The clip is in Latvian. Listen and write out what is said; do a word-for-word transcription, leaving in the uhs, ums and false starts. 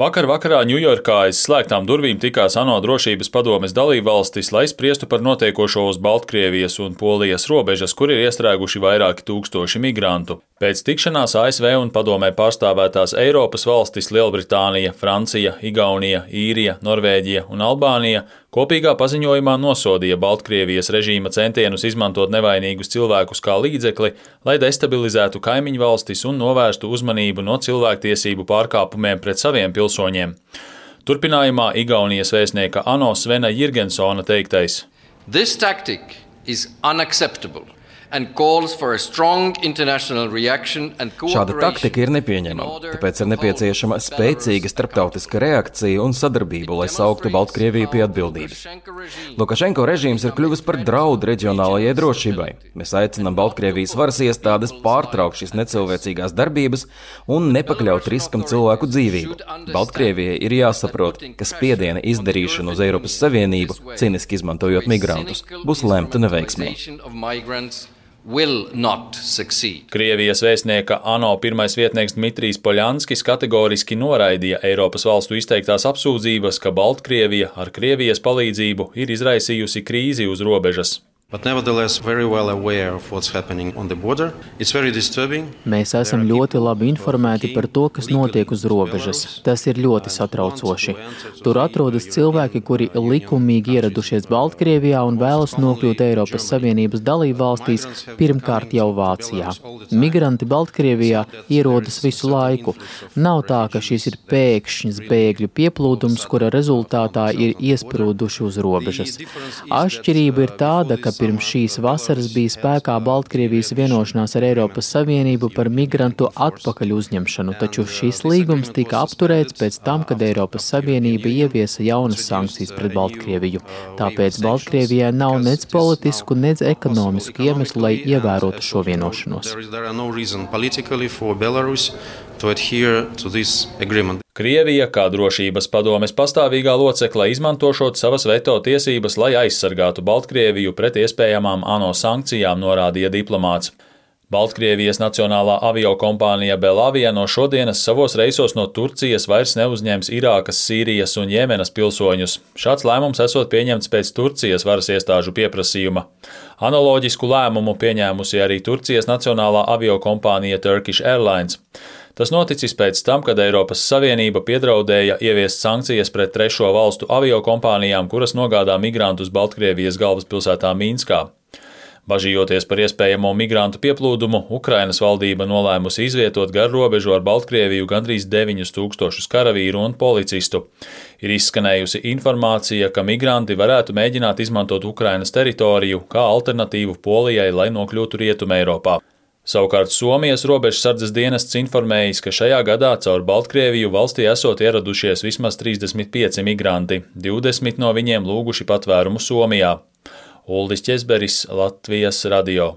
Vakar vakarā Ņujorkā aiz slēgtām durvīm tikās ANO drošības padomes dalībvalstis, lai spriestu par notiekošo uz Baltkrievijas un Polijas robežas, kur ir iestrēguši vairāki tūkstoši migrantu. Pēc tikšanās A S V un padomē pārstāvētās Eiropas valstis Lielbritānija, Francija, Igaunija, Īrija, Norvēģija un Albānija kopīgā paziņojumā nosodīja Baltkrievijas režīma centienus izmantot nevainīgus cilvēkus kā līdzekli, lai destabilizētu kaimiņu valstis un novērstu uzmanību no cilvēktiesību pārkāpumiem pret saviem pilsoņiem. Turpinājumā Igaunijas vēstnieka ANO Svena Jirgensona teiktais. This tactic is unacceptable. Šāda taktika ir nepieņemama, tāpēc ir nepieciešama spēcīga starptautiska reakcija un sadarbība, lai sauktu Baltkrieviju pie atbildības. Lukašenko režīms ir kļuvis par draudu reģionālajai drošībai. Mēs aicinām Baltkrievijas varas iestādes pārtraukt šīs necilvēcīgās darbības un nepakļaut riskam cilvēku dzīvību. Baltkrievijai ir jāsaprot, ka spiediena izdarīšana uz Eiropas Savienību, cīniski izmantojot migrantus, būs lemta neveiksmē. Krievijas vēstnieka ANO pirmais vietnieks Dmitrijs Poļanskis kategoriski noraidīja Eiropas valstu izteiktās apsūdzības, ka Baltkrievija ar Krievijas palīdzību ir izraisījusi krīzi uz robežas. Mēs esam ļoti labi informēti par to, kas notiek uz robežas. Tas ir ļoti satraucoši. Tur atrodas cilvēki, kuri likumīgi ieradušies Baltkrievijā un vēlas nokļūt Eiropas Savienības dalībvalstīs, pirmkārt jau Vācijā. Migranti Baltkrievijā ierodas visu laiku. Nav tā, ka šis ir pēkšņs bēgļu pieplūdums, kura rezultātā ir iesprūduši uz robežas. Atšķirība ir tāda, ka pirms šīs vasaras bija spēkā Baltkrievijas vienošanās ar Eiropas Savienību par migrantu atpakaļ uzņemšanu, taču šis līgums tika apturēts pēc tam, kad Eiropas Savienība ieviesa jaunas sankcijas pret Baltkrieviju. Tāpēc Baltkrievijai nav nec politisku, nec ekonomisku iemeslu, lai ievērotu šo vienošanos. Krievija, kā drošības padomes pastāvīgā locekle, izmantošot savas veto tiesības, lai aizsargātu Baltkrieviju pret iespējamām ANO sankcijām, norādīja diplomāts. Baltkrievijas nacionālā aviokompānija Belavia no šodienas savos reisos no Turcijas vairs neuzņems Irākas, Sīrijas un Jemenas pilsoņus. Šāds lēmums esot pieņemts pēc Turcijas varas iestāžu pieprasījuma. Analoģisku lēmumu pieņēmusi arī Turcijas nacionālā aviokompānija Turkish Airlines. Tas noticis pēc tam, kad Eiropas Savienība piedraudēja ieviest sankcijas pret trešo valstu aviokompānijām, kuras nogādā migrantus Baltkrievijas galvaspilsētā Mīnskā. Bažījoties par iespējamo migrantu pieplūdumu, Ukrainas valdība nolēmusi izvietot gar robežu ar Baltkrieviju gandrīz deviņus tūkstošus karavīru un policistu. Ir izskanējusi informācija, ka migranti varētu mēģināt izmantot Ukrainas teritoriju kā alternatīvu Polijai, lai nokļūtu Rietumē Eiropā. Savukārt Somijas robežsardzes dienests informējis, ka šajā gadā caur Baltkrieviju valstī esot ieradušies vismaz trīsdesmit pieci migranti, divdesmit no viņiem lūguši patvērumu Somijā. Uldis Ķezberis, Latvijas radio.